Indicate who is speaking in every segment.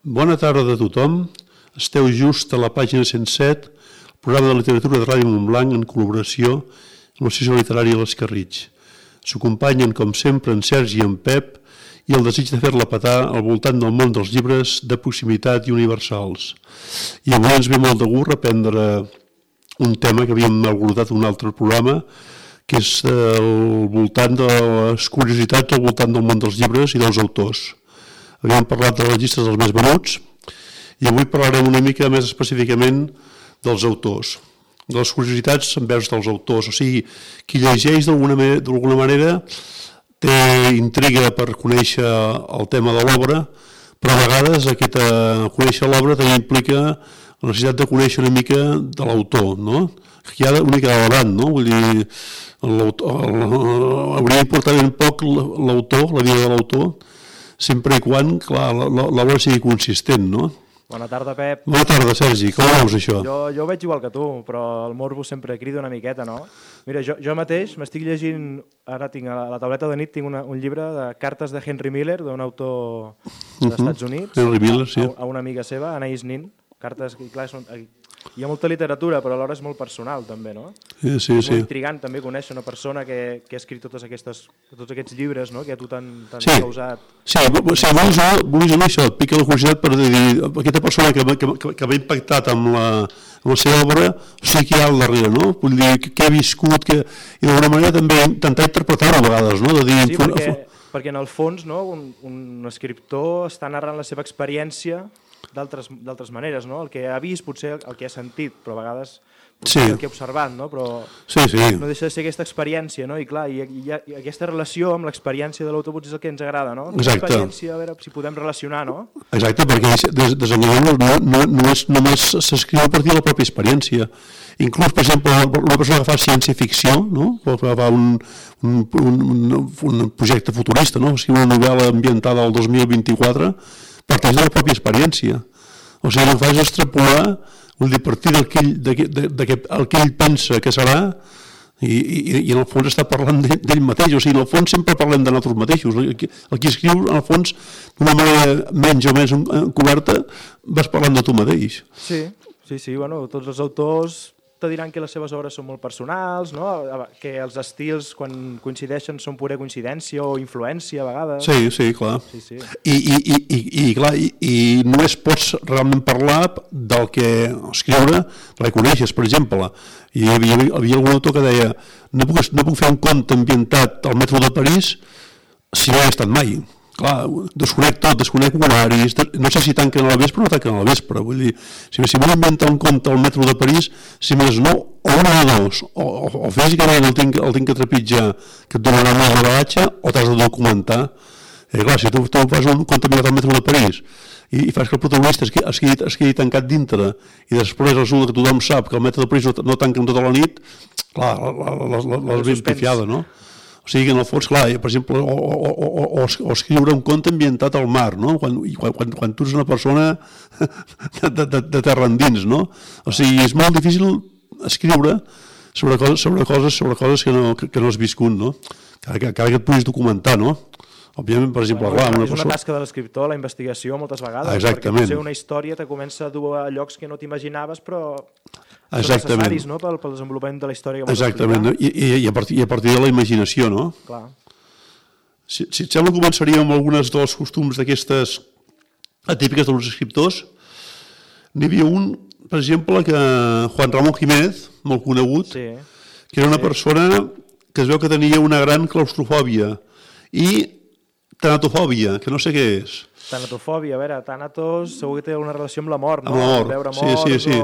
Speaker 1: Bona tarda a tothom. Esteu just a la pàgina 107, el programa de literatura de Ràdio Montblanc en col·laboració amb l'Associació Literària l'Escarritx. S'acompanyen, com sempre, en Sergi i en Pep i el desig de fer-la petar al voltant del món dels llibres de proximitat i universals. I avui ens ve molt de gust reprendre un tema que havíem abordat en un altre programa, que és al voltant de les curiositats al voltant del món dels llibres i dels autors. Havíem parlat de les llistes dels més venuts i avui parlarem una mica més específicament dels autors, de les curiositats envers dels autors. O sigui, qui llegeix d'alguna manera té intriga per conèixer el tema de l'obra, però a vegades conèixer l'obra també implica la necessitat de conèixer una mica de l'autor, no? Que hi ha una mica de davant, no? Vull dir, hauria d'importar ben poc l'autor, la vida de l'autor, sempre i quan, clar, l'obra sigui consistent, no?
Speaker 2: Bona tarda, Pep.
Speaker 1: Bona tarda, Sergi. Com veus això?
Speaker 2: Jo ho veig igual que tu, però el morbo sempre crida una miqueta, no? Mira, jo mateix m'estic llegint, ara tinc a la tauleta de nit, tinc un llibre de cartes de Henry Miller, d'un autor dels Estats Units,
Speaker 1: Henry Miller, sí.
Speaker 2: A una amiga seva, Anais Nin. Cartes que, clar, hi ha molta literatura, però alhora és molt personal, també, no?
Speaker 1: Sí.
Speaker 2: És molt intrigant, també, conèixer una persona que ha escrit tots aquests llibres, no?, que a tu t'han causat...
Speaker 1: Sí, vols dir això, et pica la curiositat per dir, aquesta persona que va impactat amb la seva obra, o sigui que hi ha al darrere, no? Vull dir, què ha viscut, i d'alguna manera també intentar interpretar-ho a vegades, no?
Speaker 2: Sí, perquè en el fons, no?, un escriptor està narrant la seva experiència d'altres maneres, no? El que ha vist, potser el que ha sentit, però a vegades el que ha observat, no? Però no deixa de ser aquesta experiència, no? I clar, i aquesta relació amb l'experiència de l'autor potser és el que ens agrada, no?
Speaker 1: Exacte.
Speaker 2: L'experiència, a veure si podem relacionar, no?
Speaker 1: Exacte, perquè desenvolupar no només s'escriu a partir de la pròpia experiència. Inclús, per exemple, una persona que fa ciència-ficció, no? O que fa un projecte futurista, no? Escriu una novel·la ambientada al 2024, parteix de la pròpia experiència. O sigui, el que fa és extrapolar, vull dir, a partir del que ell pensa que serà, i en el fons està parlant d'ell mateix. O sigui, en el fons sempre parlem de nosaltres mateixos. El que escriu, en el fons, d'una manera menys o més encoberta, vas parlant de tu mateix.
Speaker 2: Sí, bueno, tots els autors te diran que les seves obres són molt personals, no? Que els estils, quan coincideixen, són pura coincidència o influència, a vegades.
Speaker 1: Sí, clar.
Speaker 2: Sí.
Speaker 1: I només pots realment parlar del que escriure, del que coneixes, per exemple. Hi havia algun autor que deia no puc fer un conte ambientat al metro de París si no he estat mai. Clar, desconec tot, desconec horaris, no sé si tanquen a la vespre o no tanquen a la vespre. Vull dir, si vull inventar un conte al metro de París, si més no, o un o dos, o físicament el tinc que trepitjar, que et donarà més de bagatge, o t'has de documentar. Clar, si tu fas un conte ambientat al metro de París i fas que el protagonista es quedi tancat dintre i després resulta que tothom sap que el metro de París no tanquen tota la nit, clar, l'has ben pifiada, no? O sigui que en el fons, clar, per exemple, o escriure un conte ambientat al mar, no? Quan tu ets una persona de terra endins, no? O sigui, és molt difícil escriure sobre coses que no has viscut, no? Cada que et puguis documentar, no? Òbviament, per exemple,
Speaker 2: és una tasca de l'escriptor, la investigació, moltes vegades, perquè potser una història te comença a dur a llocs que no t'imaginaves, però són necessaris, no?, pel desenvolupament de la història que vols explicar.
Speaker 1: Exactament, i a partir de la imaginació, no?
Speaker 2: Clar.
Speaker 1: Si et sembla, començaríem amb algunes dels costums d'aquestes atípiques dels escriptors. N'hi havia un, per exemple, que Juan Ramón Jiménez, molt conegut, que era una persona que es veu que tenia una gran claustrofòbia i tanatofòbia, que no sé què és.
Speaker 2: Tanatofòbia, a veure, tànatos segur que té alguna relació amb la mort, no?
Speaker 1: Amb la mort,
Speaker 2: veure morts,
Speaker 1: sí.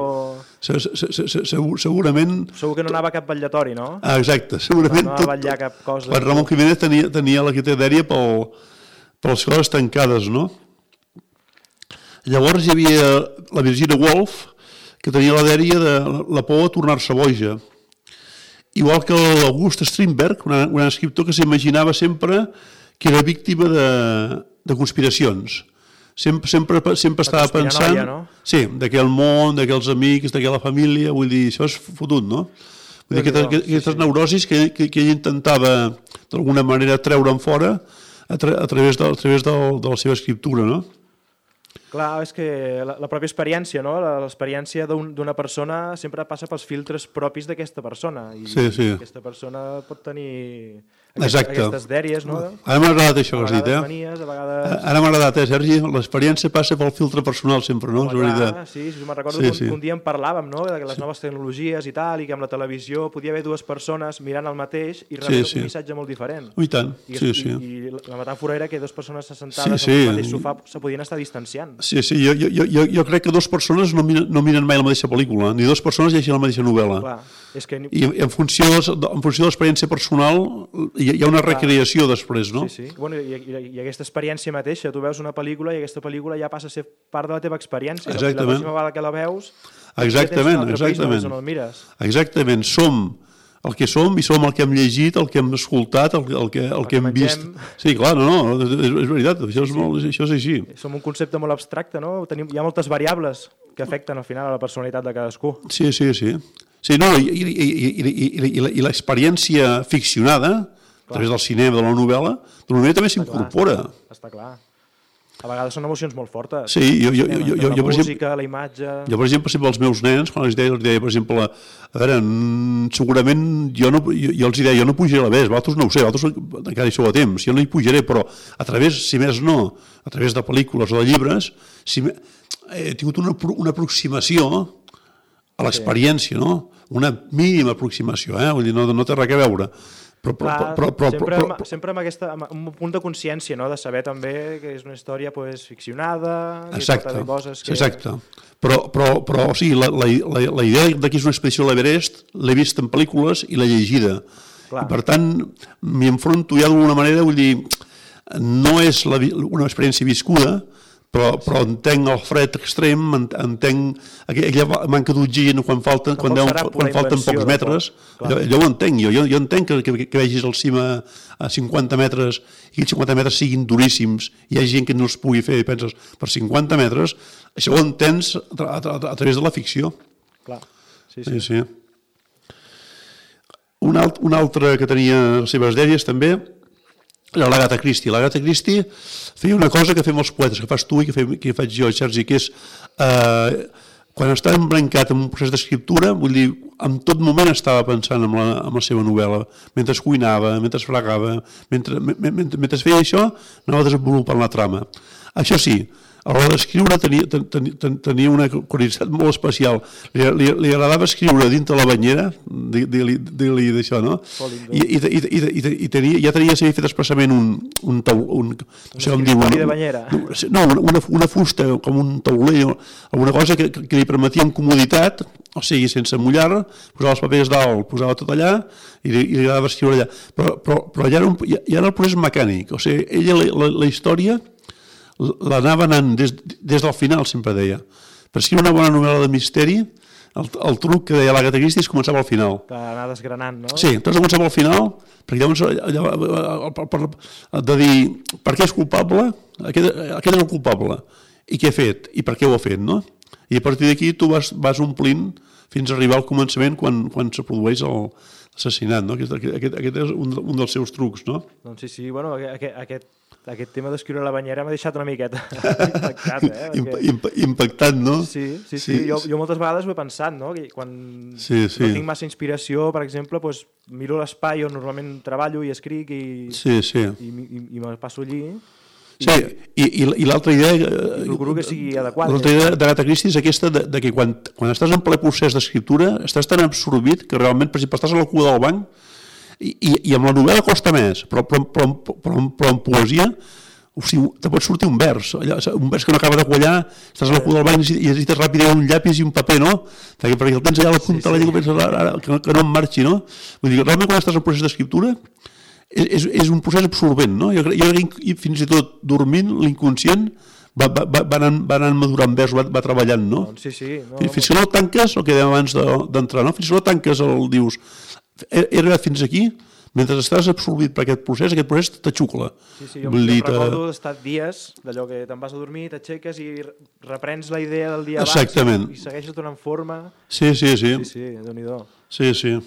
Speaker 1: Segurament...
Speaker 2: Segur que no anava a cap vetllatori, no?
Speaker 1: Exacte, segurament.
Speaker 2: No anava a vetllar cap cosa.
Speaker 1: Juan Ramón Jiménez tenia la quitadèria per les coses tancades, no? Llavors hi havia la Virginia Woolf, que tenia la dèria de la por a tornar-se boja. Igual que l'August Strindberg, un gran escriptor que s'imaginava sempre que era víctima de conspiracions. Sempre estava pensant... Sí, d'aquell món, d'aquells amics, d'aquella família, vull dir, això és fotut, no? Vull dir, aquestes neurosis que ell intentava d'alguna manera treure en fora a través de la seva escriptura, no?
Speaker 2: Clar, és que la pròpia experiència, no? L'experiència d'una persona sempre passa pels filtres propis d'aquesta persona. I aquesta persona pot tenir aquestes dèries, no?
Speaker 1: Ara m'ha agradat això que has dit,
Speaker 2: manies, a vegades...
Speaker 1: Ara m'ha agradat, Sergi? L'experiència passa pel filtre personal sempre, no?
Speaker 2: Sí, me'n recordo que un dia en parlàvem, no? De les noves tecnologies i tal, i que amb la televisió podia haver dues persones mirant el mateix i rebent un missatge molt diferent.
Speaker 1: I tant, sí.
Speaker 2: I la metàfora era que dues persones assentades al mateix sofà se podien estar distanciant.
Speaker 1: Sí, jo crec que dues persones no miren mai la mateixa pel·lícula, ni dues persones llegeixen la mateixa novel·la.
Speaker 2: Clar, és que...
Speaker 1: I en funció de l'experiència personal hi ha una recreació després, no?
Speaker 2: Sí. Bueno, i aquesta experiència mateixa, tu veus una pel·lícula i aquesta pel·lícula ja passa a ser part de la teva experiència.
Speaker 1: Exactament.
Speaker 2: La pròxima vegada que la veus,
Speaker 1: Exactament. Som el que som i som el que hem llegit, el que hem escoltat, el que hem vist. Sí, clar, no, és veritat, això és així.
Speaker 2: Som un concepte molt abstracte, no? Hi ha moltes variables que afecten al final a la personalitat de cadascú.
Speaker 1: Sí. Sí, no, i l'experiència ficcionada, a través del cinema, de la novel·la també s'incorpora.
Speaker 2: Està clar. A vegades són emocions molt fortes.
Speaker 1: Sí,
Speaker 2: la música, la imatge...
Speaker 1: Jo, per exemple, als meus nens, quan els deia, per exemple, a veure, segurament jo els deia, jo no pujaré a l'Everest, vosaltres no ho sé, vosaltres encara hi sou a temps, jo no hi pujaré, però a través, si més no, a través de pel·lícules o de llibres, he tingut una aproximació a l'experiència, no? Una mínima aproximació, vull dir, no té res a veure.
Speaker 2: Sempre amb un punt de consciència, no? De saber també que és una història ficcionada,
Speaker 1: exacte,
Speaker 2: coses que...
Speaker 1: Exacte. Però o sigui, la idea de que és una expedició a l'Everest l'he vist en pel·lícules i l'he llegida. I per tant, m'hi enfronto ja d'alguna manera, vull dir, no és una experiència viscuda, però entenc el fred extrem, entenc aquella manca d'oxigen quan falten pocs metres, allò ho entenc, jo entenc que vegis al cim a 50 metres i aquells 50 metres siguin duríssims i hi ha gent que no els pugui fer, i penses, per 50 metres, això ho entens a través de la ficció.
Speaker 2: Clar,
Speaker 1: sí. Un altre que tenia les seves dèries també era l'Agatha Christie. L'Agatha Christie feia una cosa que fem els poetes, que fas tu i que faig jo, Sergi, que és quan estava embrancat en un procés d'escriptura, vull dir, en tot moment estava pensant en la seva novel·la, mentre cuinava, mentre fregava, mentre feia això, anava desenvolupant la trama. Això sí, a l'hora d'escriure tenia una curiositat molt especial. Li agradava escriure dintre la banyera, dir-li d'això, no? I ja s'havia fet expressament un
Speaker 2: de banyera.
Speaker 1: No, una fusta, com un tauler, alguna cosa que li permetia amb comoditat, o sigui, sense mullar, posava els papers dalt, posava tot allà i li agradava escriure allà. Però ja era el procés mecànic, o sigui, ella la història l'anava anant des del final, sempre deia. Per escriure una bona novel·la de misteri, el truc que deia l'Agatha Christie és començar pel final.
Speaker 2: Anar desgranant, no?
Speaker 1: Sí, t'has de començar pel final, perquè llavors de dir per què és culpable, aquest és el culpable, i què ha fet, i per què ho ha fet, no? I a partir d'aquí tu vas omplint fins a arribar al començament quan se produeix l'assassinat, no? Aquest és un dels seus trucs, no?
Speaker 2: Doncs sí, bueno, aquest tema d'escriure a la banyera m'ha deixat una miqueta impactat,
Speaker 1: impactat, no?
Speaker 2: Sí. Jo moltes vegades ho he pensat, no? Que quan no tinc massa inspiració, per exemple, miro l'espai on normalment treballo i escric i me passo allí.
Speaker 1: Sí, i l'altra idea...
Speaker 2: Procuro que sigui adequat.
Speaker 1: L'altra idea d'Agatha Christie és aquesta de que quan estàs en ple procés d'escriptura estàs tan absorbit que realment, per exemple, estàs a la cua del banc i amb la novel·la costa més, però en poesia te pot sortir un vers que no acaba de quallar, estàs a la cua del banc i necessites ràpidament un llapis i un paper, no? Perquè el tens allà a la punta de la llengua i penses que no em marxi, no? Vull dir, realment quan estàs en procés d'escriptura és un procés absorbent, no? Jo crec que fins i tot dormint l'inconscient va anant madurant vers, va treballant, no?
Speaker 2: Sí.
Speaker 1: Fins que no el tanques, el que dèiem abans d'entrar, no? Fins que no tanques dius, he arribat fins aquí, mentre estàs absorbit per aquest procés t'aixucla.
Speaker 2: Sí, jo recordo d'estar dies, d'allò que te'n vas a dormir, t'aixeques i reprens la idea del dia abans i segueixes donant forma.
Speaker 1: Sí.
Speaker 2: Sí, Déu-n'hi-do.
Speaker 1: Sí.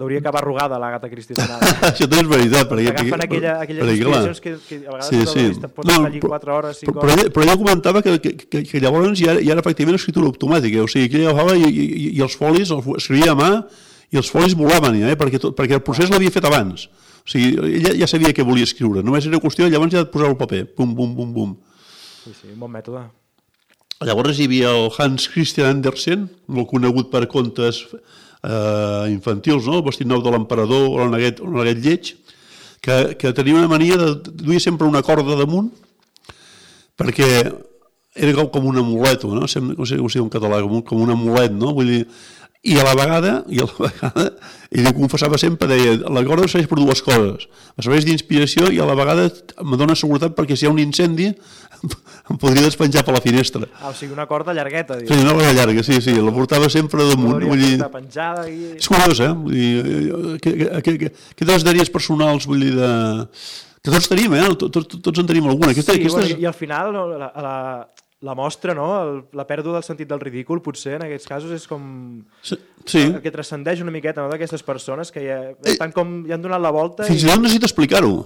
Speaker 2: Hauria acabar arrugada l'Agatha Christie.
Speaker 1: Això també és veritat.
Speaker 2: Agafen aquelles inspiracions que a vegades pots estar allí 4 hores, 5 hores.
Speaker 1: Però ella comentava que llavors ja era efectivament escriptura automàtica, o sigui, que ella agafava i els folis, escrivia a mà i els folis volaven ja, perquè el procés l'havia fet abans. O sigui, ella ja sabia què volia escriure, només era qüestió llavors ja de posar el paper, bum, bum, bum, bum.
Speaker 2: Sí, un bon mètode.
Speaker 1: Llavors hi havia el Hans Christian Andersen, molt conegut per contes infantils, no? El vestit nou de l'emperador o el neguet lleig, que tenia una mania de duia sempre una corda damunt perquè era com un amuleto, no? No sé com es diu en català, com un amulet, no? Vull dir, i a la vegada ell ho confessava sempre, deia, la corda serveix per dues coses, em serveix d'inspiració i a la vegada em dona seguretat perquè si hi ha un incendi em podria despenjar per la finestra.
Speaker 2: O sigui, una corda llargueta.
Speaker 1: Sí, una corda llarga, sí, la portava sempre damunt.
Speaker 2: Vull dir, penjada i...
Speaker 1: És curiós, Vull dir, què te'ls daries personals, vull dir, que tots tenim, tots en tenim alguna.
Speaker 2: I al final la mostra, no? La pèrdua del sentit del ridícul, potser, en aquests casos, és com...
Speaker 1: Sí.
Speaker 2: El que transcendeix una miqueta, no?, d'aquestes persones que ja estan com... ja han donat la volta
Speaker 1: fins i tot necessita explicar-ho.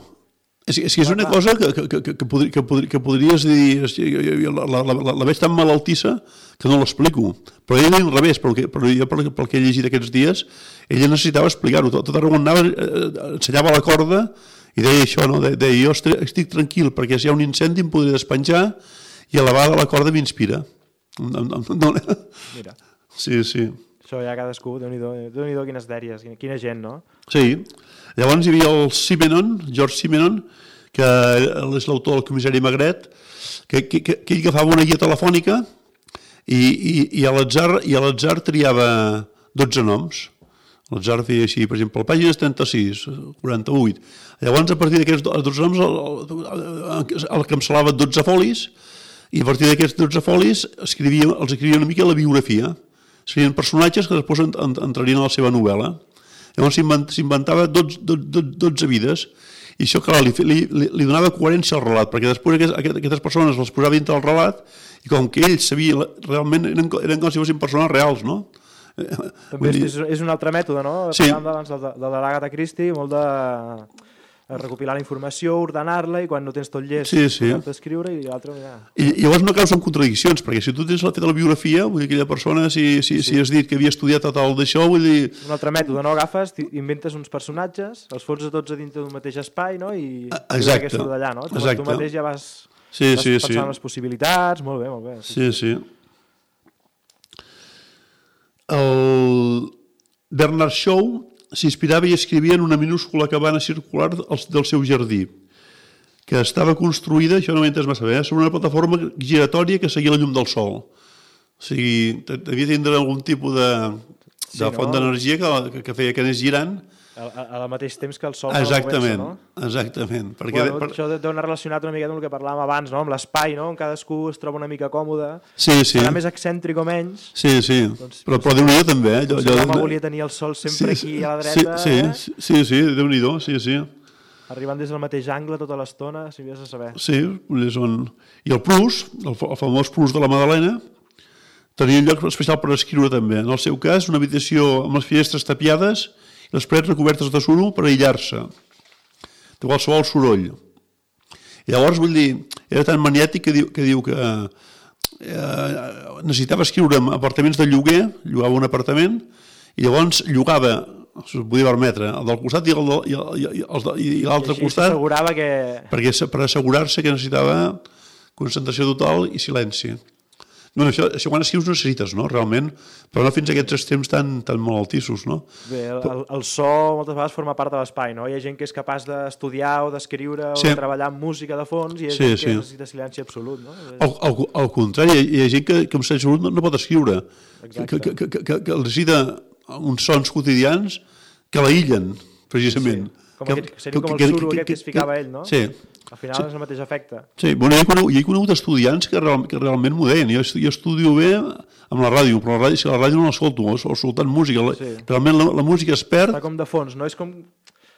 Speaker 1: És una cosa que podries dir... La veig tan malaltissa que no l'explico. Però ella al revés, però jo pel que he llegit aquests dies, ella necessitava explicar-ho. Tot arreu on anava, ensenyava la corda i deia això, no? Deia, jo estic tranquil perquè si hi ha un incendi em podré despenjar i a la vegada la corda m'inspira.
Speaker 2: Mira.
Speaker 1: Sí.
Speaker 2: Això ja cadascú, Déu-n'hi-do quines dèries, quina gent, no?
Speaker 1: Sí. Llavors hi havia el George Simenon, que és l'autor del Comissari Magret, que ell agafava una guia telefònica i a l'atzar triava 12 noms. L'atzar feia així, per exemple, pàgines 36, 48. Llavors, a partir d'aquests 12 noms, el cancel·lava 12 folis, i a partir d'aquests 12 folis els escrivia una mica la biografia. Serien personatges que després entrarien a la seva novel·la. Llavors s'inventava 12 vides i això, clar, li donava coherència al relat, perquè després aquestes persones les posava dintre del relat i com que ell sabia, realment eren com si fossin persones reals, no?
Speaker 2: També és un altre mètode, no?
Speaker 1: Sí.
Speaker 2: Parlàvem abans de l'Agatha Christie, molt de recopilar la informació, ordenar-la i quan no tens tot llest, escriure i l'altre...
Speaker 1: I llavors no causen contradiccions, perquè si tu tens la biografia, vull dir, aquella persona, si has dit que havia estudiat tal d'això, vull dir...
Speaker 2: Un altre mètode, no? Agafes, inventes uns personatges, els fots a tots a dintre d'un mateix espai, no? I que surt d'allà, no? Tu mateix ja vas pensant en les possibilitats, molt bé.
Speaker 1: Sí. El Bernard Shaw s'inspirava i escrivia en una minúscula cabana circular del seu jardí, que estava construïda, això no m'he entès massa bé, sobre una plataforma giratòria que seguia la llum del sol. O sigui, devia tindre algun tipus de font d'energia que feia que anés girant.
Speaker 2: Al mateix temps que el sol...
Speaker 1: Exactament.
Speaker 2: Això deu anar relacionat una mica amb el que parlàvem abans, no? Amb l'espai, no? On cadascú es troba una mica còmode.
Speaker 1: Sí.
Speaker 2: Serà més excèntric o menys.
Speaker 1: Sí. Però Déu-n'hi-do també.
Speaker 2: L'home volia tenir el sol sempre aquí a la dreta.
Speaker 1: Sí, Déu-n'hi-do, sí.
Speaker 2: Arribant des del mateix angle tota l'estona, si havies de saber.
Speaker 1: Sí, i el plus, el famós plus de la Madalena, tenia un lloc especial per escriure també. En el seu cas, una habitació amb les finestres tapiades i les parets recobertes de suro per aïllar-se de qualsevol soroll. I llavors, vull dir, era tan maniàtic que diu que necessitava escriure en apartaments de lloguer, llogava un apartament, i llavors llogava, s'ho podia permetre, el del costat i l'altre costat, per assegurar-se que necessitava concentració total i silenci. Bueno, això quan escrius no necessites, no? Realment, però no fins a aquests extrems tan malaltissos, no?
Speaker 2: Bé, el so moltes vegades forma part de l'espai, no? Hi ha gent que és capaç d'estudiar o d'escriure o de treballar amb música de fons i hi ha gent que necessita silenci absolut, no?
Speaker 1: Al contrari, hi ha gent que amb silenci absolut no pot escriure, que necessita uns sons quotidians que l'aïllen, precisament.
Speaker 2: Seria com el suro aquest que es ficava ell, no?
Speaker 1: Sí.
Speaker 2: Al final és el mateix efecte.
Speaker 1: Sí, bueno, jo he conegut estudiants que realment m'ho deien. Jo estudio bé amb la ràdio, però la ràdio no l'escolto, escoltant música. Realment la música es perd.
Speaker 2: Està com de fons, no? És com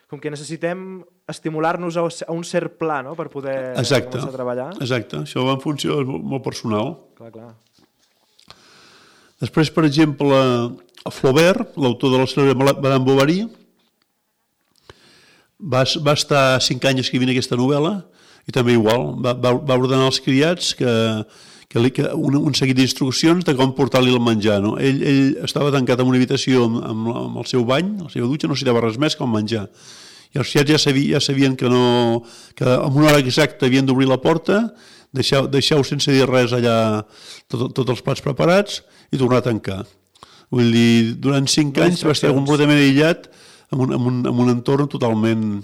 Speaker 2: que necessitem estimular-nos a un cert pla, no?, per poder començar a treballar.
Speaker 1: Exacte, això va en funció molt personal.
Speaker 2: Clar.
Speaker 1: Després, per exemple, Flaubert, l'autor de la cèlebre Madame Bovary, va estar 5 anys escrivint aquesta novel·la i també igual, va ordenar als criats un seguit d'instruccions de com portar-li el menjar. No? Ell estava tancat en una habitació amb el seu bany, la seva dutxa, no necessitava res més que el menjar. I els criats ja sabien que en una hora exacta havien d'obrir la porta, deixeu sense dir res allà tots els plats preparats i tornar a tancar. Vull dir, durant 5 anys va estar completament aïllat en un entorn totalment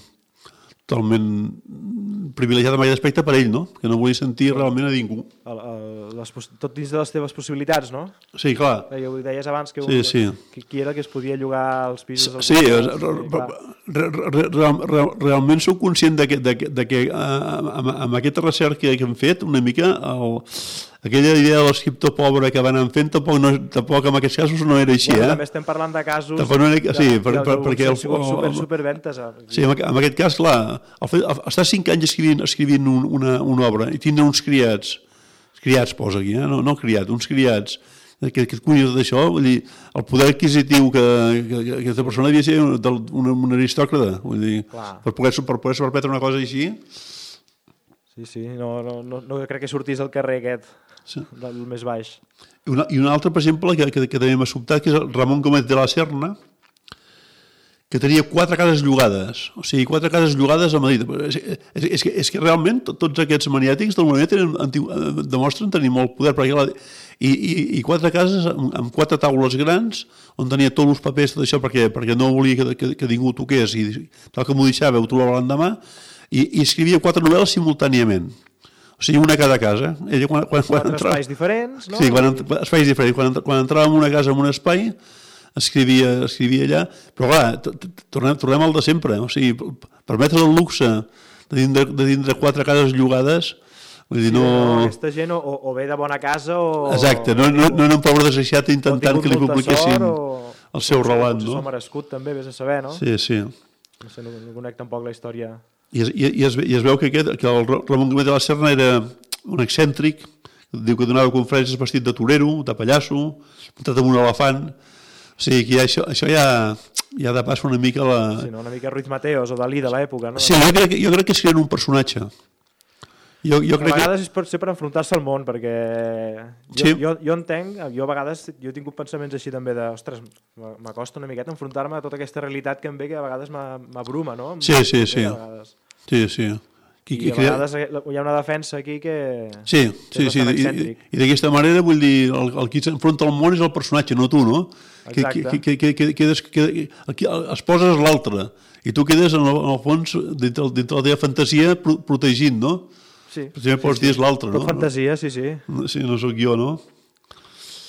Speaker 1: privilegiat en aquest aspecte per ell, no? Que no volia sentir realment a ningú.
Speaker 2: Tot dins de les teves possibilitats, no?
Speaker 1: Sí, clar.
Speaker 2: Ho deies abans que qui era que es podia llogar als pisos...
Speaker 1: Sí, realment soc conscient que amb aquesta recerca que hem fet, una mica, aquella idea de l'escriptor pobre que van fent, tampoc en aquests casos no era així.
Speaker 2: També estem parlant de casos
Speaker 1: perquè
Speaker 2: han sigut superventes.
Speaker 1: Sí, en aquest cas, clar, estar 5 anys escrivint una obra i tindre uns criats posa aquí, no criat, uns criats que et cuiden tot això, vull dir, el poder adquisitiu que aquesta persona havia de ser un aristòcrata, vull dir, per poder-se permetre una cosa així.
Speaker 2: Sí, no crec que sortís al carrer aquest, del més baix.
Speaker 1: I un altre, per exemple, que també m'ha sobtat, que és el Ramon Gómez de la Serna, que tenia 4 cases llogades, o sigui, 4 cases llogades a Madrid. És que realment tots aquests maniàtics del moviment demostren tenir molt poder, i 4 cases amb 4 taules grans, on tenia tots els papers, tot això, perquè no volia que ningú ho toqués, i tal com ho deixava, ho trobava l'endemà, i escrivia 4 novel·les simultàniament. O sigui, una a cada casa. Ella,
Speaker 2: quan espais diferents, no?
Speaker 1: Sí, espais diferents. Quan entrava en una casa, en un espai, escrivia allà, però clar, tornem al de sempre, o sigui, permetre el luxe de tindre 4 cases llogades, vull dir, no...
Speaker 2: Aquesta gent o ve de bona casa o...
Speaker 1: Exacte, no un pobre desgraciat intentant que li publiquessin el seu relat, no?
Speaker 2: O s'ho merescut també, vés a saber, no?
Speaker 1: Sí.
Speaker 2: No sé, no conec tampoc la història...
Speaker 1: I es veu que el Ramon Gómez de la Serna era un excèntric, diu que donava conferències vestit de torero, de pallasso, muntat amb un elefant. O sigui, que això ja de pas una mica la...
Speaker 2: Sí, no? Una mica Ruiz Mateos o Dalí de l'època, no?
Speaker 1: Sí, jo crec que serien un personatge.
Speaker 2: A vegades és per enfrontar-se al món, perquè jo entenc, jo a vegades he tingut pensaments així també de, ostres, m'acosta una miqueta enfrontar-me a tota aquesta realitat que em ve, que a vegades m'abruma, no?
Speaker 1: Sí.
Speaker 2: I a vegades hi ha una defensa aquí que
Speaker 1: és bastant excèntric. I d'aquesta manera, vull dir, el qui s'enfronta al món és el personatge, no tu, no? Que es poses l'altre i tu quedes, en el fons, dintre la teva fantasia, protegint, no?
Speaker 2: Sí.
Speaker 1: Potser pots dir és l'altre, no?
Speaker 2: Tot fantasia, sí.
Speaker 1: Sí, no sóc jo, no?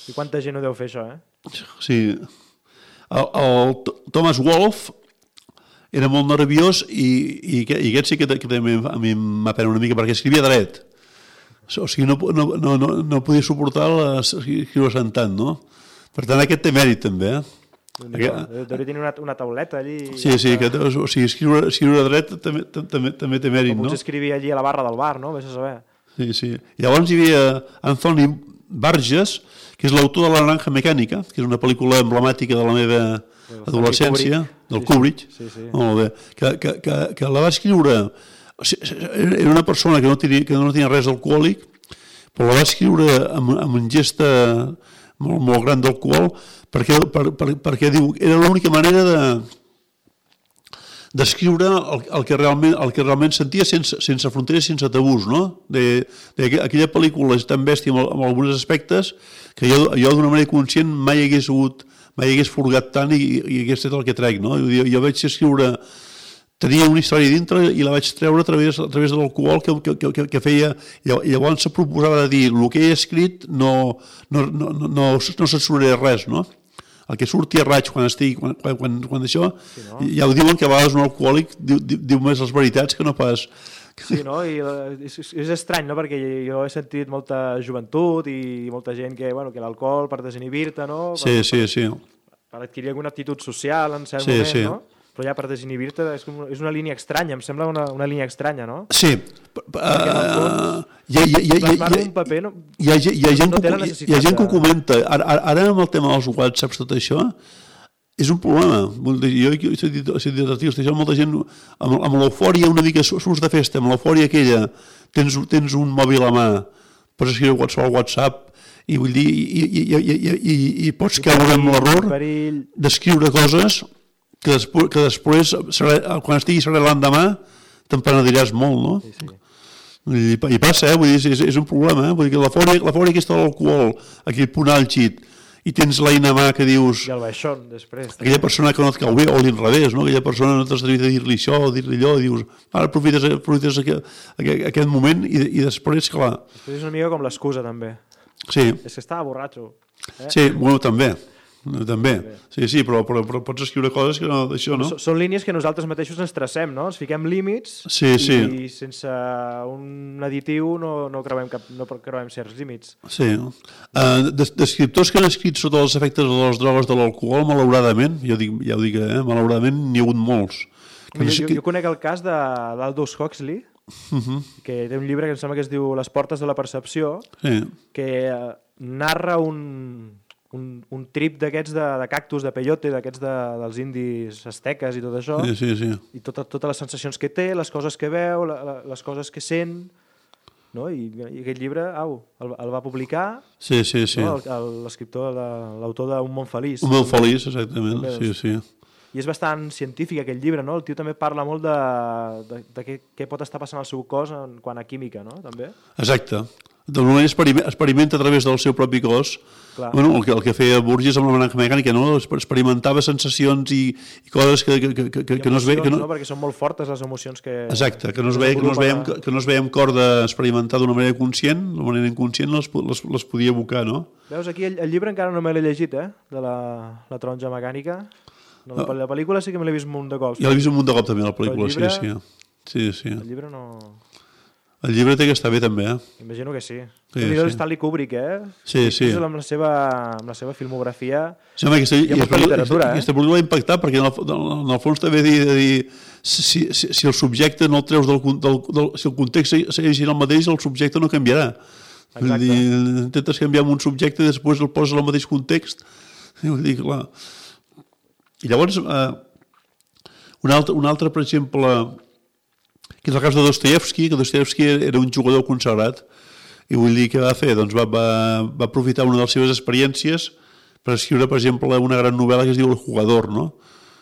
Speaker 2: I quanta gent ho deu fer, això,
Speaker 1: Sí. El Thomas Wolfe era molt nerviós i aquest sí que també a mi m'ha pena una mica, perquè escrivia dret. O sigui, no podia suportar escriure sentant, no? Per tant, aquest té mèrit, també,
Speaker 2: Deuria tenir una tauleta allí...
Speaker 1: Sí, o sigui, escriure dret també té mèrit, no?
Speaker 2: O potser escrivia allí a la barra del bar, no? Vés a saber.
Speaker 1: Sí. Llavors hi havia Anthony Burgess, que és l'autor de La naranja mecànica, que és una pel·lícula emblemàtica de la meva adolescència, del Kubrick, molt bé, que la va escriure... Era una persona que no tenia res d'alcohòlic, però la va escriure amb un gest molt gran d'alcohol, perquè diu, era l'única manera d'escriure el que realment sentia sense fronteres, sense tabús, no? Aquella pel·lícula és tan bèstia en alguns aspectes que jo d'una manera conscient mai hagués furgat tant i hagués fet el que trec, no? Jo vaig escriure, tenia una història dintre i la vaig treure a través de l'alcohol que feia, i llavors se proposava de dir el que he escrit no censuraré res, no? El que surti a raig quan això, ja ho diuen que a vegades un alcohòlic diu més les veritats que no pas...
Speaker 2: Sí, no? I és estrany, no? Perquè jo he sentit molta joventut i molta gent que l'alcohol per desinhibir-te, no?
Speaker 1: Sí.
Speaker 2: Per adquirir alguna actitud social en cert moment, no? Però ja per desinhibir-te és una línia estranya, em sembla una línia estranya, no?
Speaker 1: Sí. Hi ha gent que ho comenta. Ara amb el tema dels whatsapps, tot això, és un problema. Jo he sentit això, molta gent, amb l'eufòria una mica surts de festa, amb l'eufòria aquella, tens un mòbil a mà, pots escriure qualsevol WhatsApp, i vull dir, i pots caure amb l'error d'escriure coses que després, quan estiguis serè l'endemà, te'n penediràs molt, no? I passa, vull dir, és un problema, vull dir que l'eufòria aquesta de l'alcohol, aquell punt àlgid, i tens l'eina a mà que dius...
Speaker 2: I el baixón, després.
Speaker 1: Aquella persona que no et cau bé, o l'inrevés, no? Aquella persona no t'has de dir-li això o dir-li allò, i dius, ara aprofites aquest moment i després, clar...
Speaker 2: Després és una mica com l'excusa, també.
Speaker 1: Sí.
Speaker 2: És que estava borratxo.
Speaker 1: Sí, bueno, també. Sí, però pots escriure coses que no, d'això, no?
Speaker 2: Són línies que nosaltres mateixos ens tracem, no? Ens fiquem límits i sense un additiu no creuem certs límits.
Speaker 1: Sí. D'escriptors que han escrit sota els efectes de les drogues de l'alcohol, malauradament, ja ho dic, malauradament n'hi ha hagut molts.
Speaker 2: Jo conec el cas d'Aldous Huxley, que té un llibre que em sembla que es diu Les portes de la percepció, que narra un trip d'aquests de cactus, de peyote, d'aquests dels indis asteques i tot això, i totes les sensacions que té, les coses que veu, les coses que sent, no? I aquest llibre, el va publicar l'escriptor, l'autor d'Un món feliç.
Speaker 1: Un món feliç, exactament, sí.
Speaker 2: I és bastant científic aquest llibre, no? El tio també parla molt de què pot estar passant al seu cos en quant a química, no? També.
Speaker 1: Exacte. D'alguna manera experimenta a través del seu propi cos. Bueno, el que feia Burgess amb la naranja mecànica, no? Experimentava sensacions i coses que no es veien...
Speaker 2: No, perquè són molt fortes les emocions que...
Speaker 1: Exacte, que no es veiem cor d'experimentar d'una manera conscient, d'una manera inconscient les podia evocar, no?
Speaker 2: Veus, aquí el llibre encara no me l'he llegit, de la taronja mecànica. No, la pel·lícula sí que me l'he vist un munt de cops.
Speaker 1: Jo l'he vist un munt de cops també, la pel·lícula, sí.
Speaker 2: El llibre no...
Speaker 1: El llibre té que estar bé també,
Speaker 2: Imagino que sí. El Stanley Kubrick,
Speaker 1: Sí.
Speaker 2: Amb la seva filmografia
Speaker 1: hi ha molta literatura, Aquesta pel·lícula va impactar perquè en el fons també dir si el subjecte no el treus si el context segueix el mateix, el subjecte no canviarà. Vull dir, intentes canviar un subjecte i després el poses al mateix context. Vull dir, clar... I llavors, un altre, per exemple, que és el cas de Dostoyevsky, que Dostoyevsky era un jugador consagrat, i vull dir que va fer, doncs va aprofitar una de les seves experiències per escriure, per exemple, una gran novel·la que es diu El jugador, no?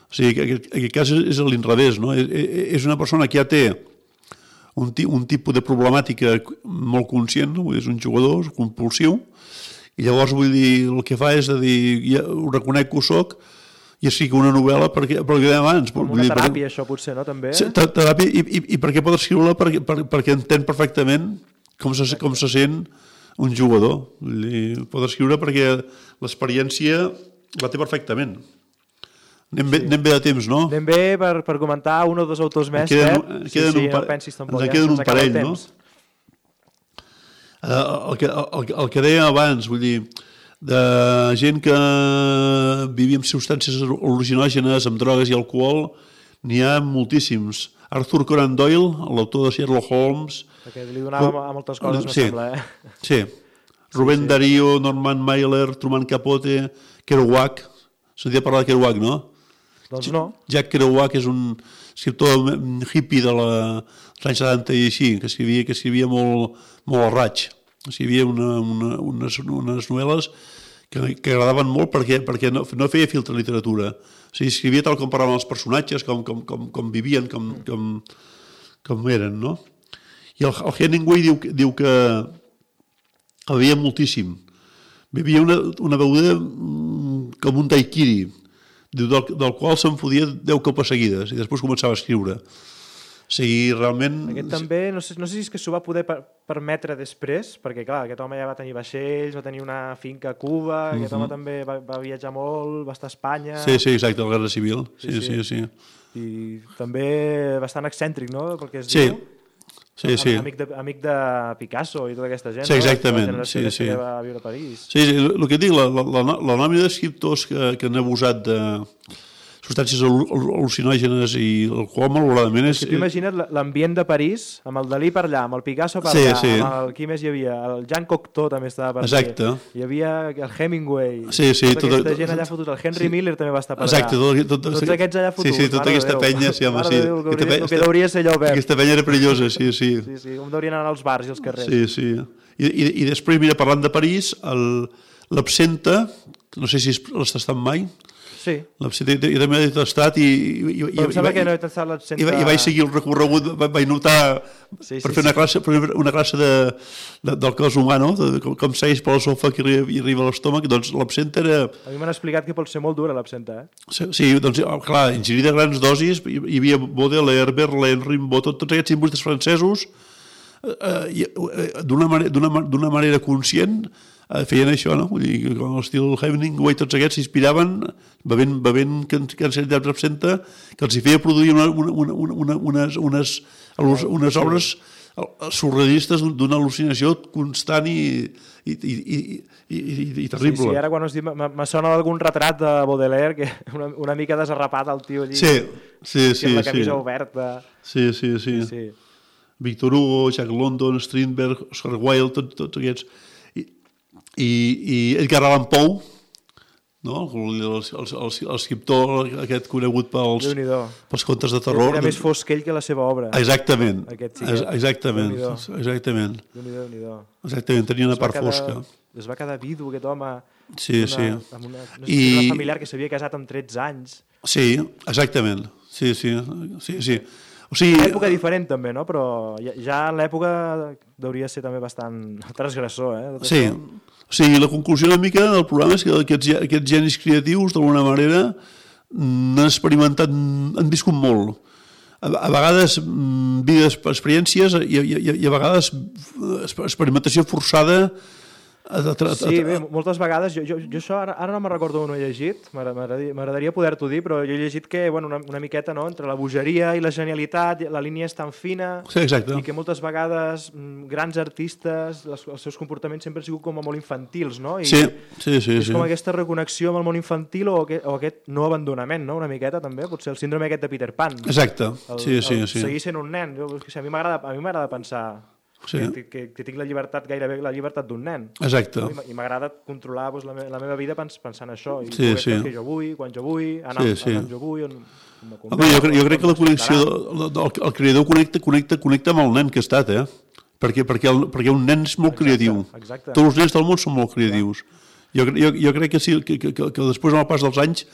Speaker 1: O sigui, en aquest cas és a l'inrevés, no? És una persona que ja té un tipus de problemàtica molt conscient, no? És un jugador compulsiu, i llavors, vull dir, el que fa és dir, ja ho reconec que ho soc, i escric una novel·la perquè abans...
Speaker 2: Com una teràpia, això, potser, no? També?
Speaker 1: Teràpia, i perquè pot escriure-la perquè entén perfectament com se sent un jugador. Pot escriure perquè l'experiència la té perfectament. Anem bé de temps, no?
Speaker 2: Anem bé per comentar un o dos autors més, Pep. No pensis tampoc.
Speaker 1: Ens queden un parell, no? El que deia abans, vull dir... de gent que vivia amb substàncies al·lucinògenes, amb drogues i alcohol, n'hi ha moltíssims. Arthur Conan Doyle, l'autor de Sherlock Holmes...
Speaker 2: Perquè li donava a moltes coses, me sembla,
Speaker 1: Sí. Rubén Darío, Norman Mailer, Truman Capote, Kerouac. Sentia parlar de Kerouac, no?
Speaker 2: Doncs no.
Speaker 1: Jack Kerouac és un escriptor hippie dels anys 70 i així, que escrivia molt al raig. Escrivia unes novel·les que agradaven molt perquè no feia filtre literatura. O sigui, escrivia tal com parlaven els personatges, com vivien, com eren, no? I el Hemingway diu que bevia moltíssim. Bevia una beguda com un daiquiri, del qual se'n fotia 10 copes seguides i després començava a escriure. O sigui, realment...
Speaker 2: Aquest també, no sé si és que s'ho va poder permetre després, perquè clar, aquest home ja va tenir vaixells, va tenir una finca a Cuba, aquest home també va viatjar molt, va estar a Espanya...
Speaker 1: Sí, exacte, la Guerra Civil. Sí.
Speaker 2: I també bastant excèntric, no?, pel que es
Speaker 1: diu. Sí.
Speaker 2: Amic de Picasso i tota aquesta gent,
Speaker 1: sí, exactament.
Speaker 2: La generació que va viure a París.
Speaker 1: Sí, el que dic, la nòmina d'escriptors que han abusat substàncies al·lucinògenes i l'alcohol, malauradament...
Speaker 2: Tu imagina't l'ambient de París, amb el Dalí per allà, amb el Picasso per allà, amb el qui més hi havia, el Jean Cocteau també estava per allà, hi havia el Hemingway, tota aquesta gent allà fotut, el Henry Miller també va estar per allà, tots aquests allà fotuts,
Speaker 1: sí, tota aquesta penya, sí, home, sí.
Speaker 2: El que hauria ser allò obert.
Speaker 1: Aquesta penya era perillosa, sí.
Speaker 2: Sí, com deurien anar als bars i als carrers.
Speaker 1: Sí. I després, mira, parlant de París, l'absenta, no sé si l'has tastat mai.
Speaker 2: Sí.
Speaker 1: L'absenta, jo també l'he tastat i vaig seguir el recorregut, vaig notar per fer una classe del cos humà, no? Com segueix per l'esòfag i arriba a l'estómac, doncs l'absenta era...
Speaker 2: A mi m'han explicat que pot ser molt dura l'absenta,
Speaker 1: Sí, doncs clar, ingerir de grans dosis, hi havia Baudelaire, Verlaine, Rimbaud, tots aquests simbolistes francesos, d'una manera conscient feien això, no? Vull dir, com l'estil Hemingway, tots aquests s'inspiraven bevent quantitats d'absenta que els hi feia produir unes obres surrealistes d'una al·lucinació constant i terrible.
Speaker 2: Sí, ara quan us dic, me sona d'algun retrat de Baudelaire, que una mica desarrapat el tio allí, amb la camisa oberta.
Speaker 1: Sí. Victor Hugo, Jack London, Strindberg, Oscar Wilde, tots aquests. I Edgar Allan Poe, no? L'escriptor aquest conegut pels contes de terror.
Speaker 2: Era més fosc ell que la seva obra.
Speaker 1: Exactament.
Speaker 2: Exactament,
Speaker 1: tenia una part fosca.
Speaker 2: Es va quedar vidu aquest home amb una familiar que s'havia casat amb 13 anys.
Speaker 1: Sí, exactament. Sí.
Speaker 2: Una època diferent també, no? Però ja en l'època hauria ser també bastant transgressor,
Speaker 1: Sí. La conclusió una mica del programa és que aquests genis creatius, d'alguna manera, han experimentat, han viscut molt. A vegades vides, experiències i a vegades experimentació forçada.
Speaker 2: Sí, bé, moltes vegades, jo això ara no me'n recordo on ho he llegit, m'agradaria poder-t'ho dir, però jo he llegit que una miqueta entre la bogeria i la genialitat, la línia és tan fina, i que moltes vegades grans artistes, els seus comportaments sempre han sigut com molt infantils, no?
Speaker 1: Sí.
Speaker 2: És com aquesta reconnexió amb el món infantil o aquest no abandonament, no? Una miqueta també, potser el síndrome aquest de Peter Pan.
Speaker 1: Exacte, sí.
Speaker 2: Seguir sent un nen, a mi m'agrada pensar... que tinc la llibertat, gairebé la llibertat d'un nen.
Speaker 1: Exacte.
Speaker 2: I m'agrada controlar la meva vida pensant això, i poder fer el que jo vull, quan jo vull, anar on jo vull,
Speaker 1: jo crec que la connexió, el creador connecta amb el nen que ha estat, perquè un nen és molt creatiu. Tots els nens del món són molt creatius. Jo crec que sí, que després amb el pas dels anys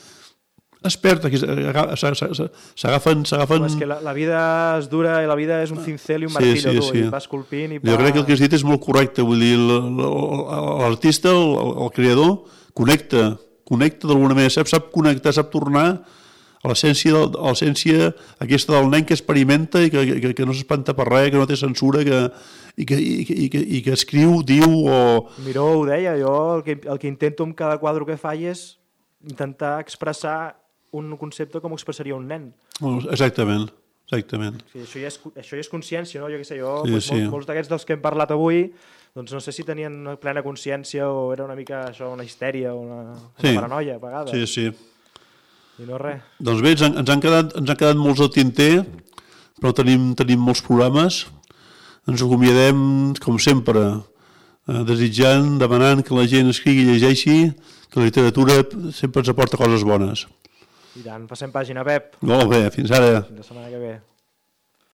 Speaker 1: es perd, s'agafen...
Speaker 2: És que la vida és dura i la vida és un cincel i un martillo, i va esculpint i va...
Speaker 1: Jo crec que el que has dit és molt correcte, vull dir, l'artista, el creador, connecta d'alguna manera, sap connectar, sap tornar a l'essència aquesta del nen que experimenta i que no s'espanta per res, que no té censura, i que escriu, diu o...
Speaker 2: Miró ho deia, jo el que intento amb cada quadre que faig és intentar expressar un concepte com ho expressaria un nen.
Speaker 1: Exactament.
Speaker 2: Sí, això ja és consciència, no? Jo què sé, molts d'aquests dels que hem parlat avui, doncs no sé si tenien una plena consciència o era una mica això, una histèria o una paranoia a vegades.
Speaker 1: Sí.
Speaker 2: I no res.
Speaker 1: Doncs bé, ens han quedat molts al tinter, però tenim molts programes. Ens acomiadem, com sempre, desitjant, demanant que la gent escrigui i llegeixi, que la literatura sempre ens aporta coses bones.
Speaker 2: I tant, passem pàgina, Pep.
Speaker 1: Molt bé, fins ara.
Speaker 2: Fins la setmana que ve.